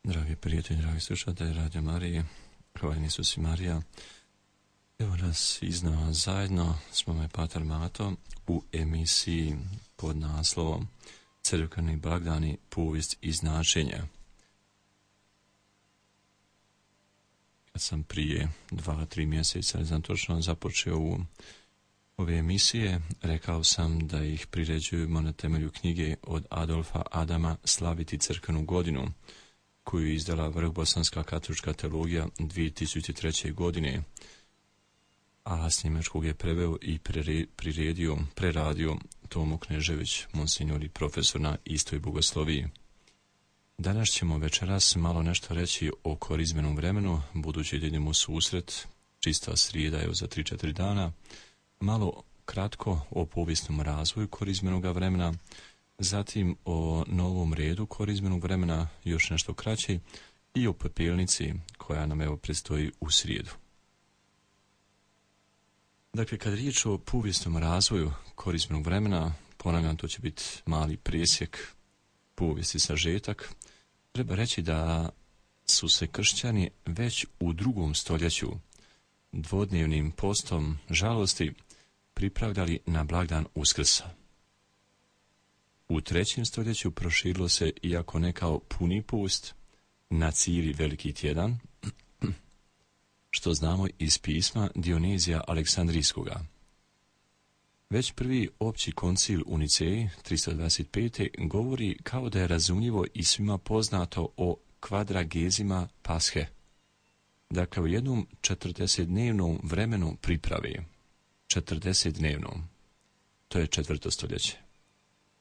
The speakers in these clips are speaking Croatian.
Dragi prijatelji, dragi slušatelji Radio Marije, hvala Isus i Marija. Evo nas iznova zajedno s mama i Pater Mato u emisiji pod naslovom Crkveni blagdani, povijest i značenja. Kad sam prije 2-3 mjeseca, ne znam točno, započeo ove emisije, rekao sam da ih priređujemo na temelju knjige od Adolfa Adama Slaviti crkvenu godinu, koju je izdala Vrhbosanska katolička teologija 2003. godine, a s njemačkog je preveo i preradio Tomo Knežević, monsignor i profesor na istoj bogosloviji. Danas ćemo večeras malo nešto reći o korizmenom vremenu, budući da idemo u susret, čista srijeda je za 3-4 dana, malo kratko o povijesnom razvoju korizmenog vremena, zatim o novom redu korizmenog vremena, još nešto kraće, i o pepelnici koja nam evo predstoji u srijedu. Dakle, kad riječ o povijesnom razvoju korizmenog vremena, ponavljam, to će biti mali presjek, povijesti sažetak, treba reći da su se kršćani već u 2. stoljeću dvodnevnim postom žalosti pripravljali na blagdan Uskrsa. U 3. stoljeću proširilo se, iako ne kao puni post, na cijeli veliki tjedan, što znamo iz pisma Dionezija Aleksandrijskoga. Već prvi opći koncil u Niceji 325. govori kao da je razumljivo i svima poznato o kvadragezima Pashe. Dakle, u jednom 40-dnevnom vremenu priprave, 40-dnevnom, to je 4. stoljeće.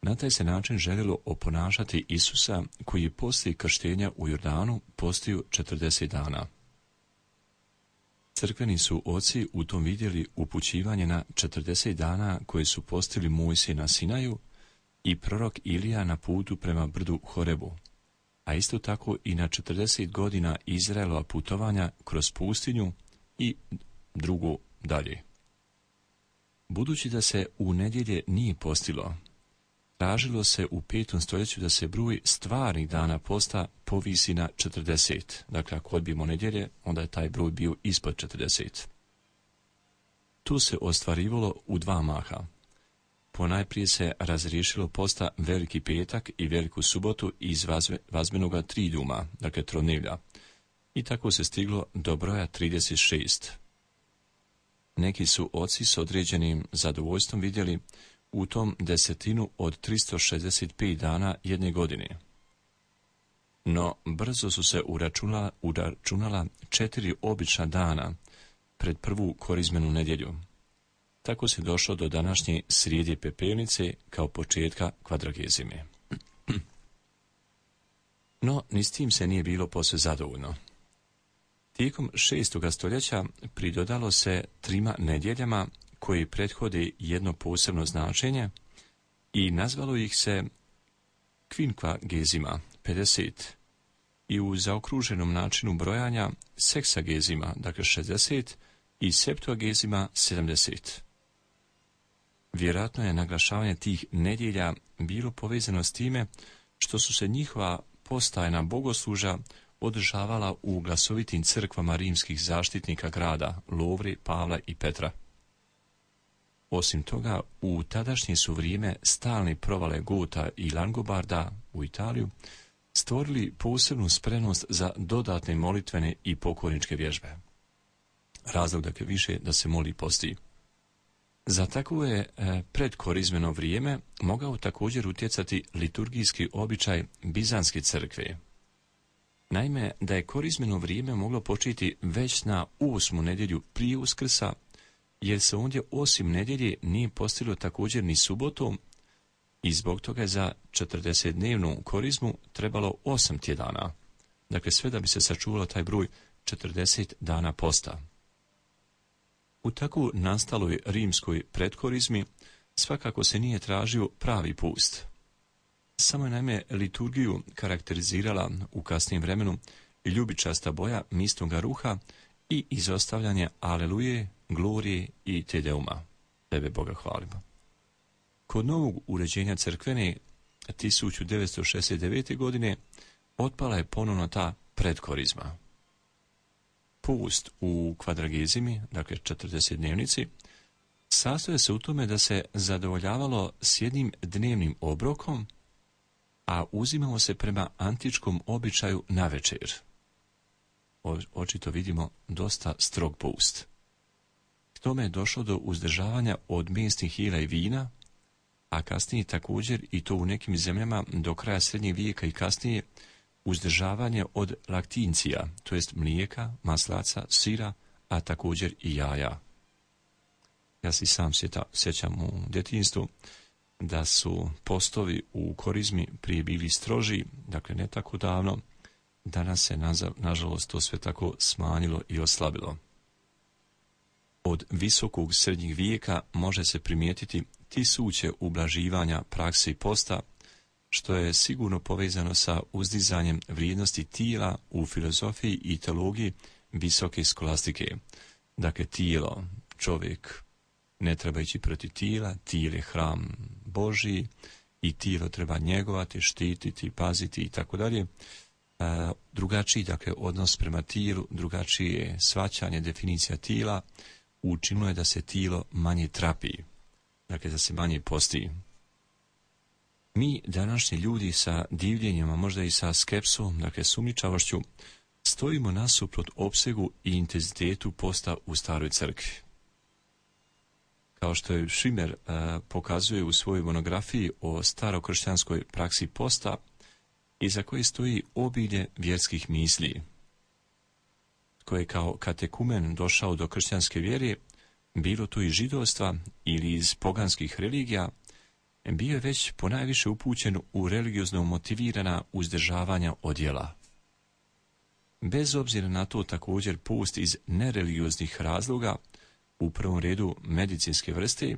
Na taj se način željelo oponašati Isusa, koji je poslije krštenja u Jordanu postio 40 dana. Crkveni su oci u tom vidjeli upućivanje na 40 dana koje su postili Mojsije na Sinaju i prorok Ilija na putu prema brdu Horebu, a isto tako i na 40 godina Izraelova putovanja kroz pustinju i drugo dalje. Budući da se u nedjelje nije postilo, tražilo se u 5. stoljeću da se broj stvarnih dana posta povisi na 40. Dakle, ako odbijemo nedjelje, onda je taj broj bio ispod 40. Tu se ostvarivalo u 2 maha. Ponajprije se razriješilo posta Veliki petak i Veliku subotu iz vazbenoga triduma, dakle trodnevlja. I tako se stiglo do broja 36. Neki su oci s određenim zadovoljstvom vidjeli u tom desetinu od 365 dana jedne godine. No, brzo su se uračunala 4 obična dana pred prvu korizmenu nedjelju. Tako se došlo do današnje srijede pepelnice kao početka kvadragezime. No, ni s tim se nije bilo posve zadovoljno. Tijekom 6. stoljeća pridodalo se 3 nedjeljama koji prethode jedno posebno značenje i nazvalo ih se kvinkvagezima, 50, i u zaokruženom načinu brojanja seksagezima, dakle 60, i septuagezima, 70. Vjerojatno je naglašavanje tih nedjelja bilo povezano s time što su se njihova postajna bogosluža održavala u glasovitim crkvama rimskih zaštitnika grada, Lovre, Pavla i Petra. Osim toga, u tadašnje su vrijeme stalne provale Gota i Langobarda u Italiju stvorili posebnu spremnost za dodatne molitvene i pokorničke vježbe. Razlog dakle više da se moli posti. Za takvo je predkorizmeno vrijeme mogao također utjecati liturgijski običaj Bizanske crkve. Naime, da je korizmeno vrijeme moglo početi već na 8. nedjelju prije Uskrsa, jer se ondje osim nedjelje nije postilo također ni subotom i zbog toga je za 40-dnevnu korizmu trebalo 8 tjedana. Dakle, sve da bi se sačuvalo taj broj 40 dana posta. U tako nastaloj rimskoj predkorizmi svakako se nije tražio pravi pust. Samo je naime liturgiju karakterizirala u kasnijem vremenu ljubičasta boja mistoga ruha i izostavljanje Aleluje, Glorije i Te Deuma. Tebe Boga hvalimo. Kod novog uređenja crkvene 1969. godine otpala je ponovno ta predkorizma. Post u kvadragezimi, dakle 40 dnevnici, sastoje se u tome da se zadovoljavalo s jednim dnevnim obrokom, a uzimalo se prema antičkom običaju navečer. Očito vidimo dosta strog post. K tome je došlo do uzdržavanja od mesnih jela i vina, a kasnije također, i to u nekim zemljama do kraja srednjeg vijeka i kasnije, uzdržavanje od laktincija, to jest mlijeka, maslaca, sira, a također i jaja. Ja si sam sjećam u djetinjstvu da su postovi u korizmi prije bili stroži, dakle ne tako davno. Danas se, nažalost, to sve tako smanjilo i oslabilo. Od visokog srednjeg vijeka može se primijetiti tisuće ublaživanja praksi posta, što je sigurno povezano sa uzdizanjem vrijednosti tijela u filozofiji i teologiji visoke skolastike. Dakle, tijelo, čovjek ne treba ići protiv tijela, tijelo je hram Božji i tijelo treba njegovati, štititi, paziti i tako dalje. Drugačiji, dakle, odnos prema tijelu, drugačije shvaćanje, definicija tijela, učinilo je da se tijelo manje trapi, dakle da se manje posti. Mi, današnji ljudi, sa divljenjima, možda i sa skepsom, dakle sumnjičavošću, stojimo nasuprot opsegu i intenzitetu posta u staroj crkvi. Kao što je Šimer pokazuje u svojoj monografiji o starokršćanskoj praksi posta, iza koje stoji obilje vjerskih misli. Koji je kao katekumen došao do kršćanske vjere, bilo to iz židovstva ili iz poganskih religija, bio je već ponajviše upućen u religiozno motivirana uzdržavanja od djela. Bez obzira na to, također post iz nereligioznih razloga, u prvom redu medicinske vrste,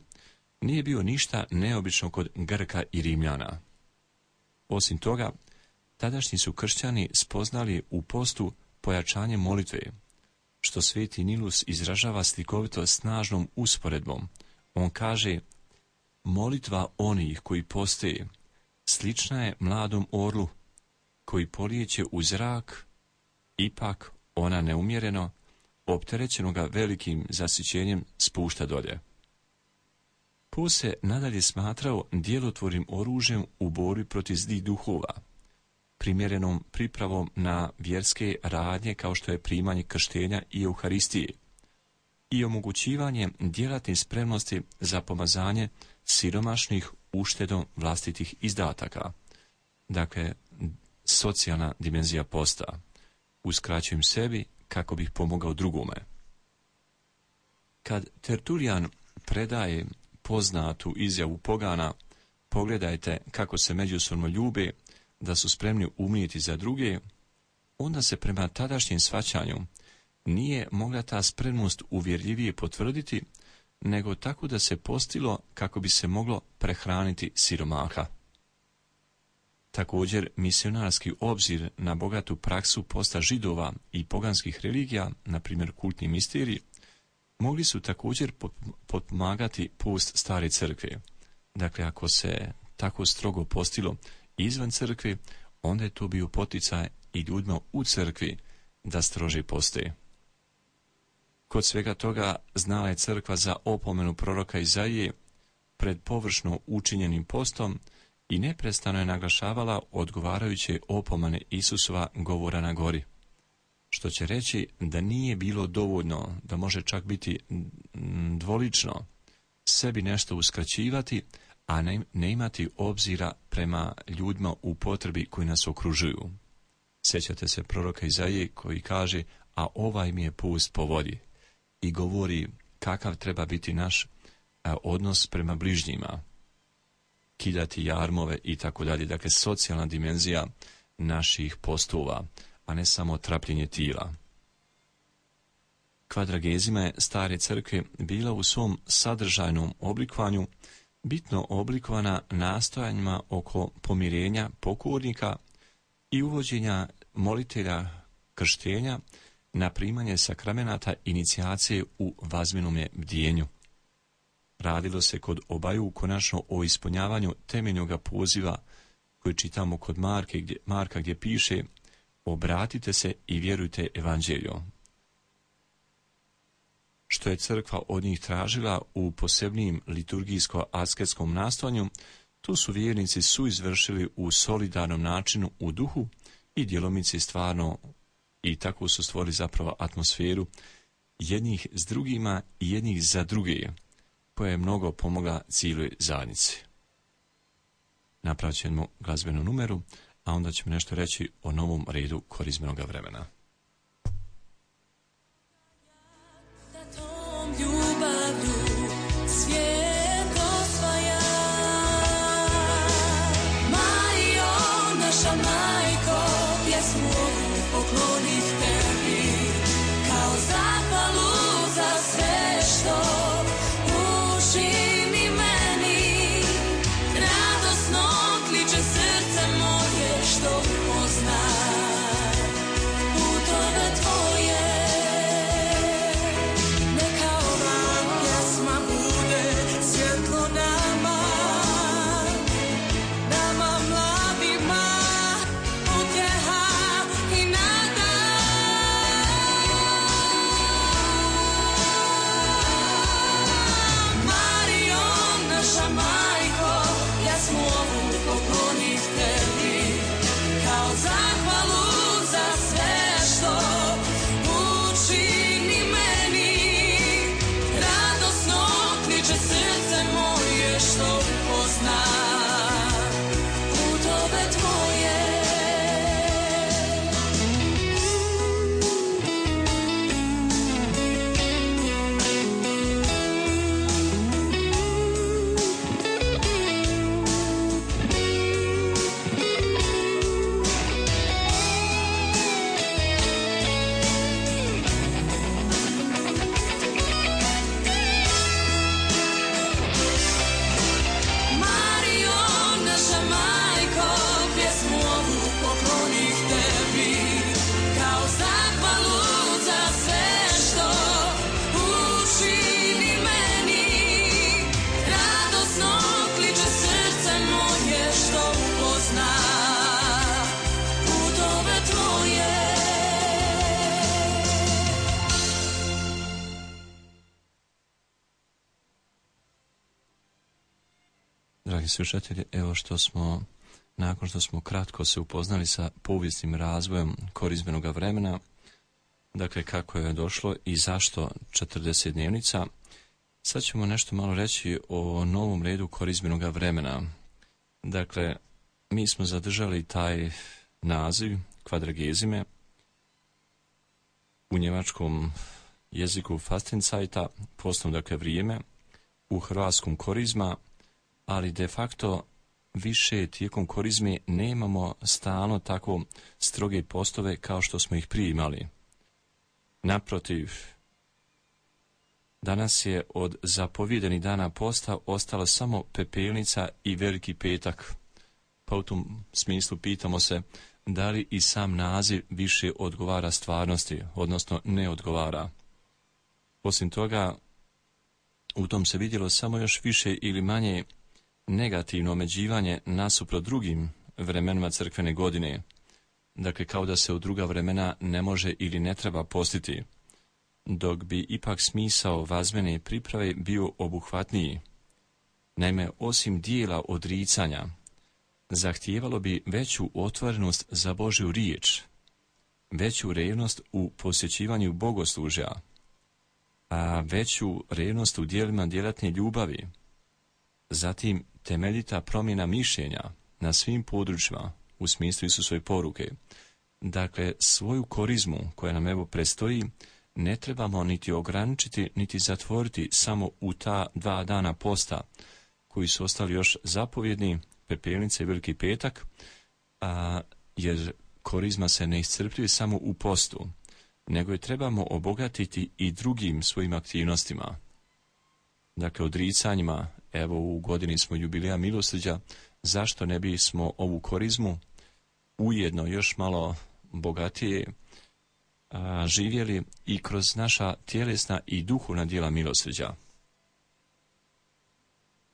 nije bio ništa neobično kod Grka i Rimljana. Osim toga, tadašnji su kršćani spoznali u postu pojačanje molitve, što sveti Nilus izražava slikovito snažnom usporedbom. On kaže: molitva onih koji poste slična je mladom orlu koji polijeće u zrak, ipak ona neumjereno, opterećenoga velikim zasićenjem, spušta dolje. Post se nadalje smatrao djelotvornim oružjem u borbi protiv zlih duhova, primjerenom pripravom na vjerske radnje kao što je primanje krštenja i Euharistije i omogućivanje djelatne spremnosti za pomazanje siromašnih uštedom vlastitih izdataka. Dakle, socijalna dimenzija posta. Uskraćujem sebi kako bih pomogao drugome. Kad Tertulijan predaje poznatu izjavu pogana: pogledajte kako se međusobno ljube, da su spremni umrijeti za druge, onda se prema tadašnjem shvaćanju nije mogla ta spremnost uvjerljivije potvrditi, nego tako da se postilo kako bi se moglo prehraniti siromaha. Također, misionarski obzir na bogatu praksu posta židova i poganskih religija, na primjer kultni misteriji, mogli su također potpomagati post stare crkve. Dakle, ako se tako strogo postilo izvan crkve, onda je to bio poticaj i ljudima u crkvi da strože poste. Kod svega toga znala je crkva za opomenu proroka Izaije pred površno učinjenim postom i neprestano je naglašavala odgovarajuće opomene Isusova govora na gori, što će reći da nije bilo dovoljno, da može čak biti dvolično sebi nešto uskraćivati, a ne imati obzira prema ljudima u potrebi koji nas okružuju. Sjećate se proroka Izaije koji kaže: a ovaj mi je post po vodi, i govori kakav treba biti naš odnos prema bližnjima, kidati jarmove i tako dalje. Dakle, socijalna dimenzija naših postova, a ne samo trapljenje tijela. Kvadragezima je stare crkve bila u svom sadržajnom oblikovanju bitno oblikovana nastojanjima oko pomirenja pokornika i uvođenja molitelja krštenja na primanje sakramenata inicijacije u vazminome bdijenju. Radilo se kod obaju konačno o ispunjavanju temeljnog poziva koji čitamo kod Marka gdje piše: obratite se i vjerujte evanđelju. Što je crkva od njih tražila u posebnim liturgijsko-asketskom nastojanju, tu su vjernici suizvršili u solidarnom načinu u duhu i djelomice stvarno, i tako su stvorili zapravo atmosferu jednih s drugima i jednih za druge, koja je mnogo pomogla cijeloj zajednici. Napravit ćemo glazbenu numeru, a onda ćemo nešto reći o novom redu korizmenog vremena. Poklonih tebi kao zahvalu za sve što učini meni. Radosno kliče srce moje što upozna putove tvoje. Neka ova pjesma bude svjetlo nama, nama mladima. Dragi slušatelji, evo nakon što smo kratko se upoznali sa povijesnim razvojem korizmenog vremena, dakle kako je došlo i zašto 40 dnevnica, sad ćemo nešto malo reći o novom redu korizmenog vremena. Dakle, mi smo zadržali taj naziv kvadragezime, u njemačkom jeziku Fastenzajta, postnom dakle vrijeme, u hrvatskom korizma, ali de facto više tijekom korizme nemamo stalno tako stroge postove kao što smo ih prije imali. Naprotiv, danas je od zapovjedenih dana posta ostala samo pepelnica i Veliki petak. Pa u tom smislu pitamo se da li i sam naziv više odgovara stvarnosti, odnosno ne odgovara. Osim toga, u tom se vidjelo samo još više ili manje negativno omeđivanje nasuprot drugim vremenima crkvene godine. Dakle, kao da se u druga vremena ne može ili ne treba postiti, dok bi ipak smisao vazmene priprave bio obuhvatniji. Naime, osim dijela odricanja, zahtijevalo bi veću otvorenost za Božju riječ, veću revnost u posjećivanju bogoslužja, a veću revnost u dijelima djelatne ljubavi, zatim temeljita promjena mišljenja na svim područjima u smislu Isusove poruke. Dakle, svoju korizmu koja nam evo predstoji ne trebamo niti ograničiti, niti zatvoriti samo u ta 2 dana posta koji su ostali još zapovjedni, pepelnica i Veliki petak, jer korizma se ne iscrpljuje samo u postu, nego je trebamo obogatiti i drugim svojim aktivnostima. Dakle, odricanjima, evo u godini smo jubileja milosrđa, zašto ne bismo ovu korizmu ujedno još malo bogatije živjeli i kroz naša tjelesna i duhovna djela milosrđa.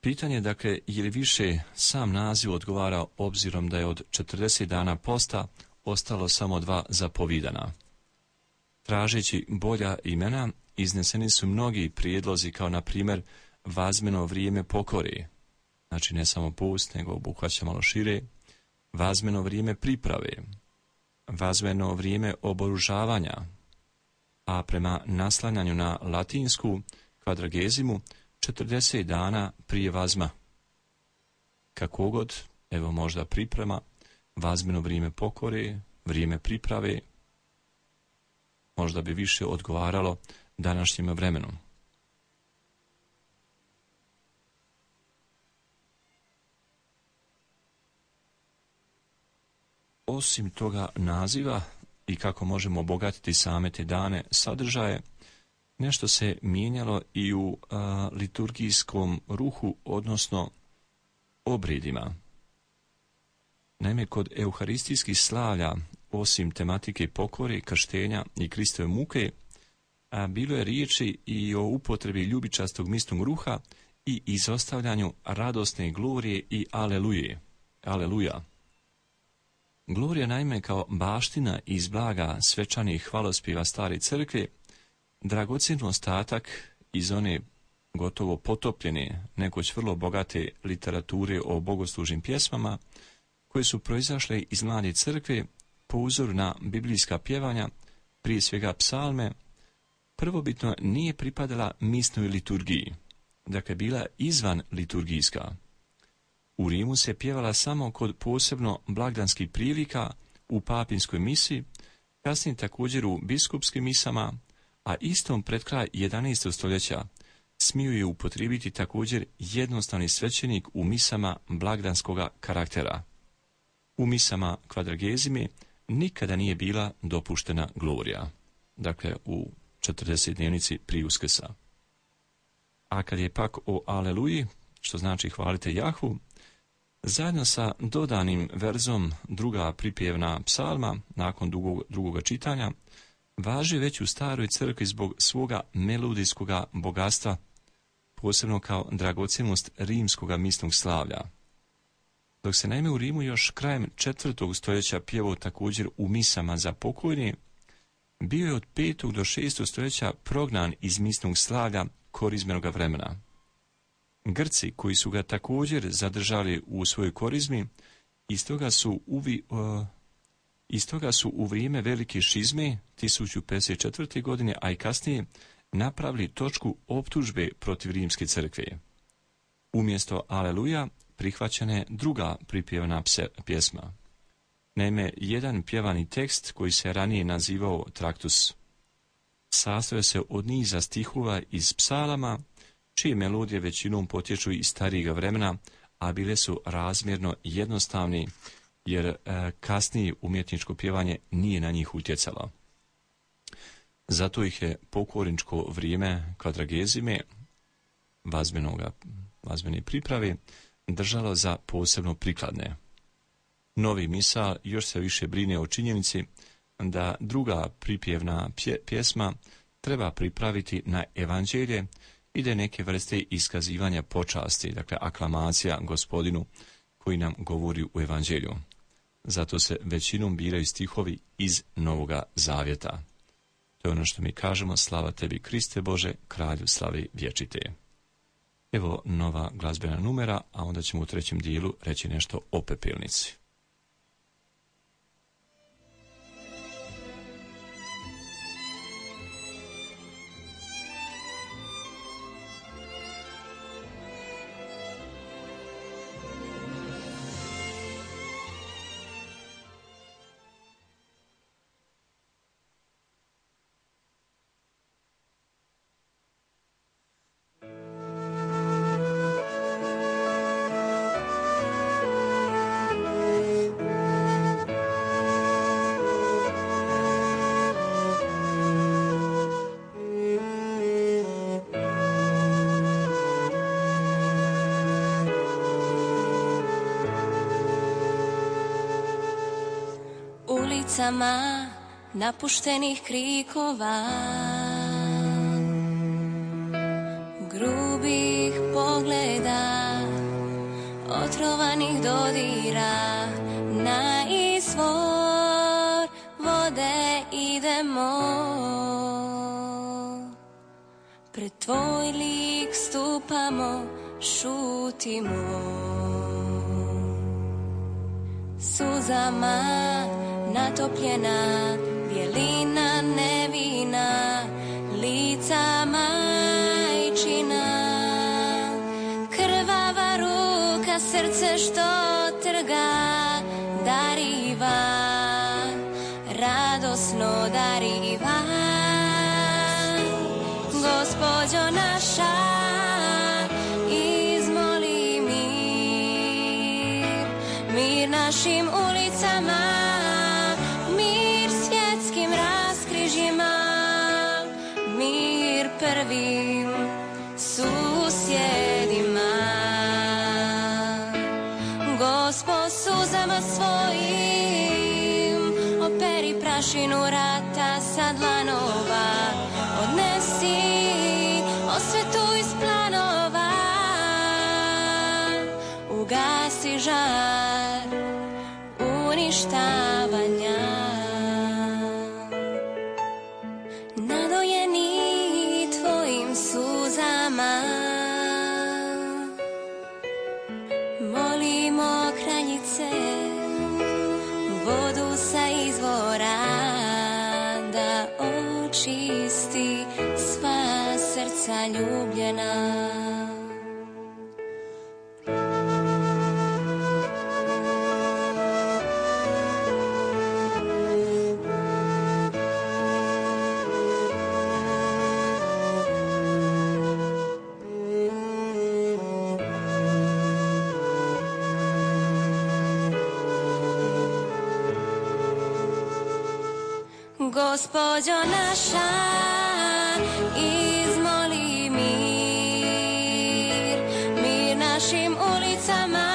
Pitanje, dakle, je li više sam naziv odgovara obzirom da je od 40 dana posta ostalo samo 2 zapovidana. Tražeći bolja imena, izneseni su mnogi prijedlozi, kao na primjer vazmeno vrijeme pokore, znači ne samo post, nego obuhvaća malo šire, vazmeno vrijeme priprave, vazmeno vrijeme oboružavanja, a prema naslanjanju na latinsku kvadragezimu 40 dana prije vazma. Kako god, evo možda priprema, vazmeno vrijeme pokore, vrijeme priprave, možda bi više odgovaralo današnjem vremenu. Osim toga naziva i kako možemo obogatiti same te dane sadržaje, nešto se mijenjalo i u liturgijskom ruhu, odnosno obredima. Naime, kod euharistijskih slavlja, osim tematike pokore, krštenja i Kristove muke, bilo je riječi i o upotrebi ljubičastog misnog ruha i izostavljanju radosne glorije i aleluje. Aleluja. Glorija, naime, kao baština iz blaga svečanih hvalospjeva stare crkve, dragocjen ostatak iz one gotovo potopljene, nekoć vrlo bogate literature o bogoslužnim pjesmama, koje su proizašle iz mlade crkve po uzoru na biblijska pjevanja, prije svega psalme, prvobitno nije pripadala misnoj liturgiji, dakle bila izvan liturgijska. U Rimu se pjevala samo kod posebno blagdanskih prilika u papinskoj misi, kasnije također u biskupskim misama, a istom pred kraj 11. stoljeća smiju je upotrijebiti također jednostavni svećenik u misama blagdanskoga karaktera. U misama kvadragezime nikada nije bila dopuštena glorija, dakle u 40 dnevnici prije Uskrsa. A kad je pak o aleluji, što znači hvalite Jahvu, zajedno sa dodanim verzom druga pripjevna psalma, nakon drugoga čitanja, važi već u staroj crkvi zbog svoga melodijskoga bogatstva, posebno kao dragocjenost rimskoga misnog slavlja. Dok se naime u Rimu još krajem 4. stoljeća pjevao također u misama za pokojne, bio je od 5. do 6. stoljeća prognan iz misnog slavlja korizmenoga vremena. Grci, koji su ga također zadržali u svojoj korizmi, iz toga su u vrijeme velike šizme 1054. godine, a i kasnije, napravili točku optužbe protiv rimske crkve. Umjesto aleluja prihvaćena je druga pripjevana pjesma. Naime, jedan pjevani tekst koji se ranije nazivao traktus sastoje se od niza stihova iz psalama, čije melodije većinom potječu iz starijega vremena, a bile su razmjerno jednostavni, jer kasnije umjetničko pjevanje nije na njih utjecalo. Zato ih je pokorničko vrijeme kvadragezime, vazmene priprave, držalo za posebno prikladne. Novi misal još se više brine o činjenici da druga pripjevna pjesma treba pripraviti na evanđelje i da je neke vrste iskazivanja počasti, dakle aklamacija Gospodinu koji nam govori u evanđelju. Zato se većinom biraju stihovi iz Novoga Zavjeta. To je ono što mi kažemo: slava tebi Kriste Bože, kralju slave vječite. Evo nova glazbena numera, a onda ćemo u trećem dijelu reći nešto o pepelnici. Ulicama napuštenih krikova, grubih pogleda, otrovanih dodira, na izvor vode idemo. Pred tvoj lik stupamo, šutimo. Suzama natopljena, bjelina nevina, lica majčina. Krvava ruka, srce što trga, dariva, radosno dariva. Gospođo naša, izmoli mir, mir našim ulicama, mir svjetskim raskrižjima, mir prvim susjedima. Gospod suzama svojim, operi prašinu rata sa dlanova, odnesi osvetu iz planova, ugasi žar uništavanja. Nadojeni tvojim suzama, molimo kraljice, vodu sa izvora da očisti sva srca ljubljena. Gospođo naša, izmoli mir, mir našim ulicama,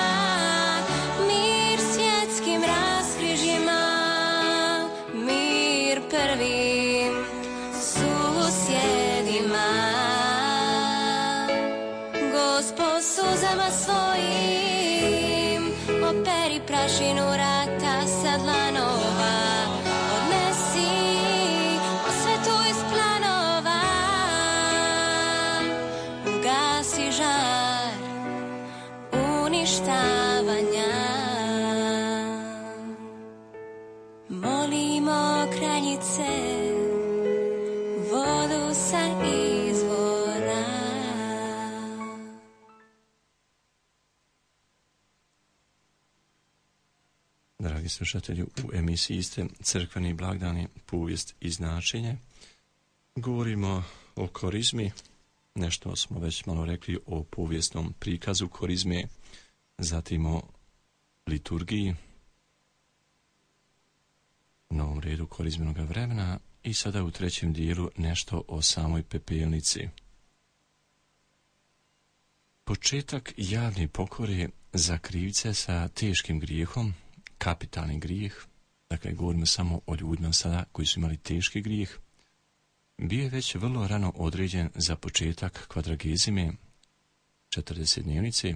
mir svjetskim raskrižjima, mir prvim susjedima. Gospod suzama svojim, operi prašinu rata sa dlanova, žar uništavanja. Molimo kraljice, vodu sa izvora. Dragi slušatelji, u emisiji ste Crkveni blagdani, povijest i značenje. Govorimo o korizmi. Nešto smo već malo rekli o povijesnom prikazu korizme, zatim o liturgiji, novom redu korizmenog vremena i sada u trećem dijelu nešto o samoj pepelnici. Početak javne pokore za krivce sa teškim grijehom, kapitalni grijeh, dakle govorimo samo o ljudima sada koji su imali teški grijeh, bio je već vrlo rano određen za početak kvadragezime, 40 dnevnice,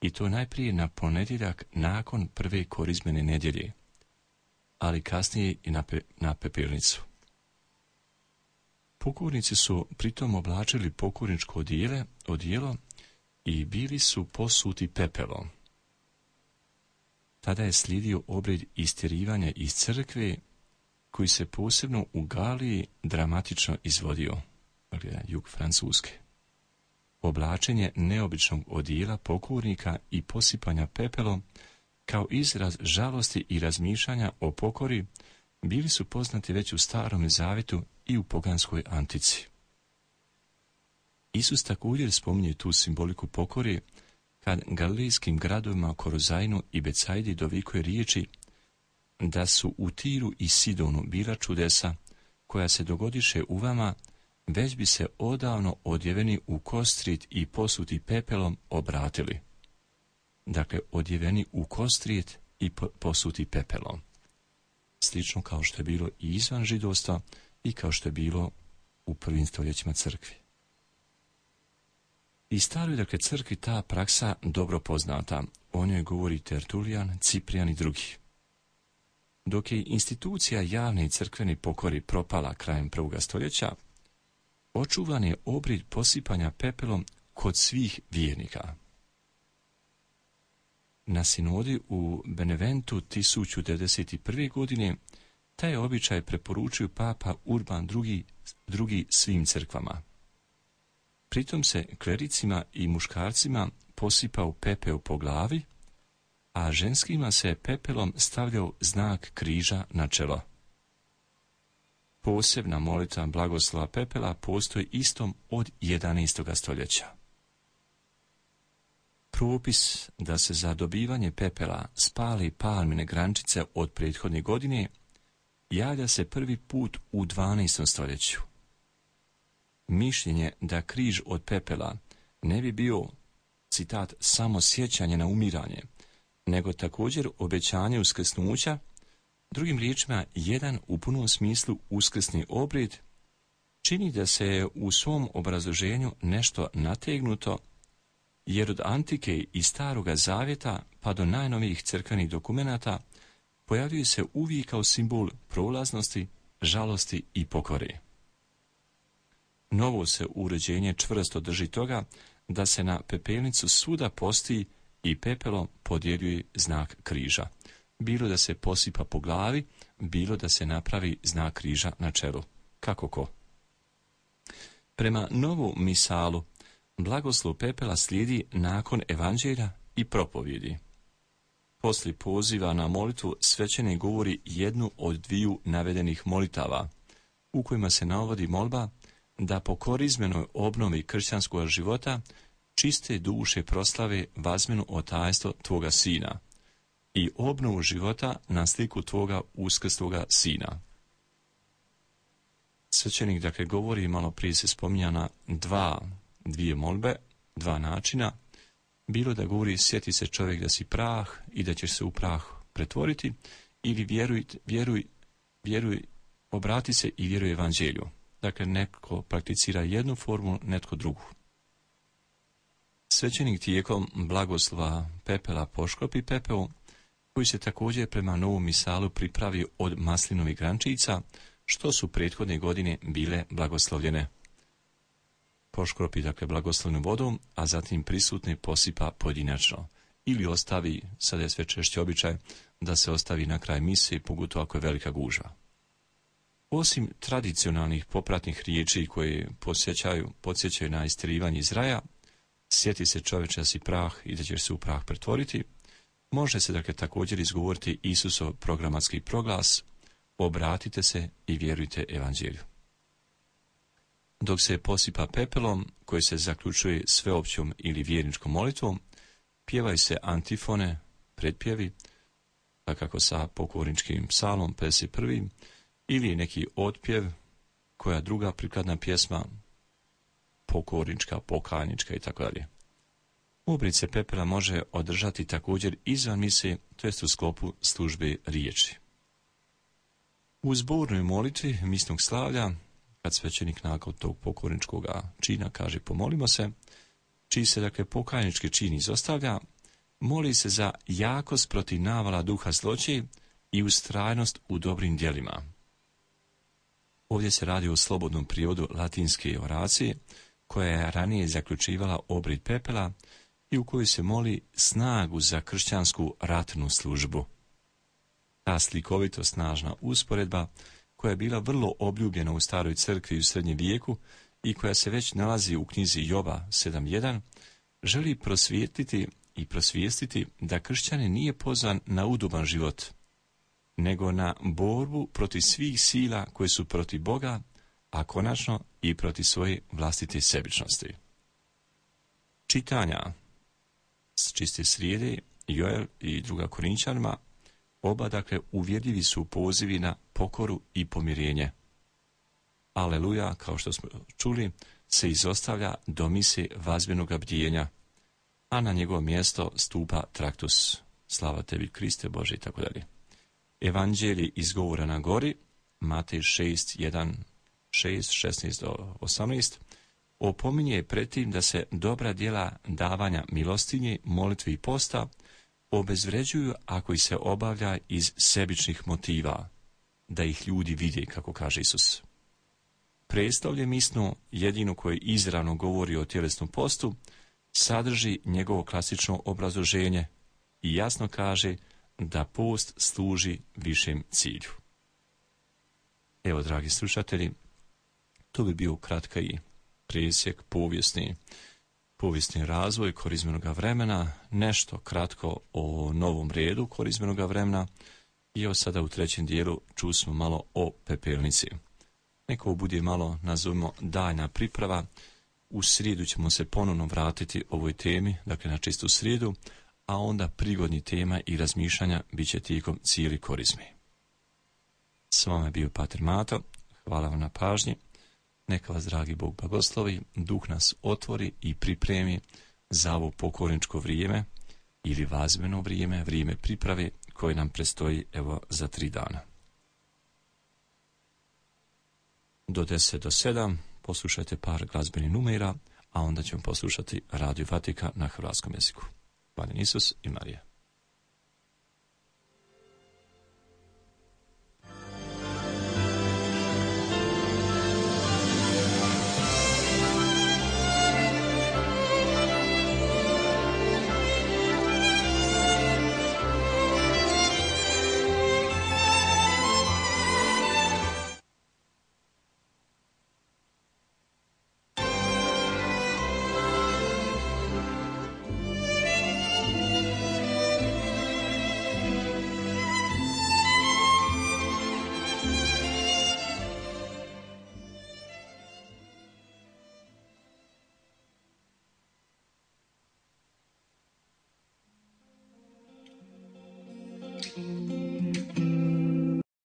i to najprije na ponedjeljak nakon prve korizmene nedjelje, ali kasnije i na pepelnicu. Pokornici su pritom oblačili pokorničko odijelo i bili su posuti pepelom. Tada je slijedio obred istjerivanja iz crkve, koji se posebno u Galiji dramatično izvodio, jug Francuske. Oblačenje neobičnog odijela pokornika i posipanja pepelom kao izraz žalosti i razmišljanja o pokori bili su poznati već u Starom Zavjetu i u poganskoj antici. Isus također spominje tu simboliku pokore kad galilejskim gradovima Korozajnu i Becajdi dovikuje riječi da su u Tiru i Sidonu bila čudesa koja se dogodiše u vama, već bi se odavno odjeveni u kostrijet i posuti pepelom obratili. Dakle, odjeveni u kostrijet i posuti pepelom. Slično kao što je bilo i izvan židovstva i kao što je bilo u prvim stoljećima crkve. I staroj, dakle, crkvi ta praksa dobro poznata. O njoj govori Tertulijan, Ciprijan i drugi. Dok je institucija javne i crkvene pokori propala krajem 1. stoljeća, očuvan je obrid posipanja pepelom kod svih vjernika. Na sinodi u Beneventu 1091. godine taj običaj preporučio papa Urban II svim crkvama. Pritom se klericima i muškarcima posipao pepeo po glavi, a ženskima se pepelom stavljao znak križa na čelo. Posebna molitva blagoslova pepela postoji istom od 11. stoljeća. Propis da se za dobivanje pepela spali palmine grančice od prethodne godine javlja se prvi put u 12. stoljeću. Mišljenje da križ od pepela ne bi bio, citat, samo sjećanje na umiranje, nego također obećanje uskrsnuća, drugim riječima jedan u punom smislu uskrsni obred, čini da se je u svom obrazloženju nešto nategnuto, jer od antike i Staroga zavjeta pa do najnovijih crkvenih dokumenata pojavljuje se uvijek kao simbol prolaznosti, žalosti i pokore. Novo se uređenje čvrsto drži toga da se na pepelnicu svuda posti i pepelom podjeljuje znak križa. Bilo da se posipa po glavi, bilo da se napravi znak križa na čelu. Kako ko? Prema novu misalu, blagoslov pepela slijedi nakon evanđelja i propovjedi. Poslije poziva na molitvu svećenik govori jednu od dviju navedenih molitava, u kojima se navodi molba da po korizmenoj obnovi kršćanskog života čiste duše proslave vazmenu otajstvo tvoga sina i obnovu života na sliku tvoga uskrsloga sina. Svećenik, dakle, govori, malo prije se spominjana dvije molbe, dva načina, bilo da govori sjeti se čovjek da si prah i da ćeš se u prah pretvoriti, ili vjeruj, obrati se i vjeruj evanđelju. Dakle, netko prakticira jednu formu, netko drugu. Svećenik tijekom blagoslova pepela poškropi pepeo, koji se također prema novom misalu pripravi od maslinovih grančica, što su prethodne godine bile blagoslovljene. Poškropi, dakle, blagoslovnom vodom, a zatim prisutne posipa pojedinačno. Ili ostavi, sada je sve češće običaj, da se ostavi na kraj mise, pogotovo ako je velika gužva. Osim tradicionalnih popratnih riječi koje podsjećaju na istjerivanje iz raja, sjeti se čovječe da si prah i da ćeš se u prah pretvoriti, može se, dakle, također izgovoriti Isusov programatski proglas: obratite se i vjerujte evanđelju. Dok se posipa pepelom, koji se zaključuje sveopćom ili vjerničkom molitvom, pjevaju se antifone, pretpjevi, kako sa pokorničkim psalmom 51. ili neki otpjev, koja druga prikladna pjesma, pokornička, pokajnička itd. Obred se pepela može održati također izvan mise, to jest u sklopu službe riječi. U zbornoj molitvi misnog slavlja, kad svećenik nakon tog pokorničkog čina kaže pomolimo se, čiji se, dakle, pokajnički čin izostavlja, moli se za jakost protiv navala duha zloće i ustrajnost u dobrim djelima. Ovdje se radi o slobodnom prijevodu latinske oracije, koja je ranije zaključivala obred pepela i u kojoj se moli snagu za kršćansku ratnu službu. Ta slikovito snažna usporedba, koja je bila vrlo obljubljena u staroj crkvi u srednjem vijeku i koja se već nalazi u knjizi Joba 7.1, želi prosvijestiti da kršćanin nije pozvan na udoban život, nego na borbu protiv svih sila koje su protiv Boga, a konačno i protiv svoje vlastite sebičnosti. Čitanja s čiste srijede, Joel i 2. Korinčanima, oba, dakle, uvjerljivi su pozivi na pokoru i pomirenje. Aleluja, kao što smo čuli, se izostavlja do mise vazbenoga bdjenja, a na njegovo mjesto stupa traktus. Slava tebi, Kriste Bože, itd. Evanđelje iz govora na gori, Matej 6, 1, 6, 16 do 18, opominje pretim da se dobra djela davanja milostinje, molitvi i posta obezvređuju ako ih se obavlja iz sebičnih motiva, da ih ljudi vide, kako kaže Isus. Predstavlje misno jedino koje izravno govori o tjelesnom postu, sadrži njegovo klasično obrazloženje i jasno kaže da post služi višem cilju. Evo, dragi slušatelji, to bi bio kratka i presjek povijesni razvoj korizmenog vremena, nešto kratko o novom redu korizmenog vremena i evo sada u trećem dijelu čusmo malo o pepelnici. Neko bude malo, nazovimo, daljna priprava. U srijedu ćemo se ponovno vratiti ovoj temi, dakle na čistu srijedu, a onda prigodni tema i razmišljanja bit će tijekom cijeli korizme. S vama je bio Pater Mato, hvala vam na pažnji. Neka vas, dragi Bog, blagoslovi, Duh nas otvori i pripremi za ovo pokorničko vrijeme ili vazbeno vrijeme, vrijeme priprave koje nam predstoji evo za 3 dana. Do 10 do 7 poslušajte par glazbenih numera, a onda ćemo poslušati Radio Vatikan na hrvatskom jeziku. Hvala Isus i Marija.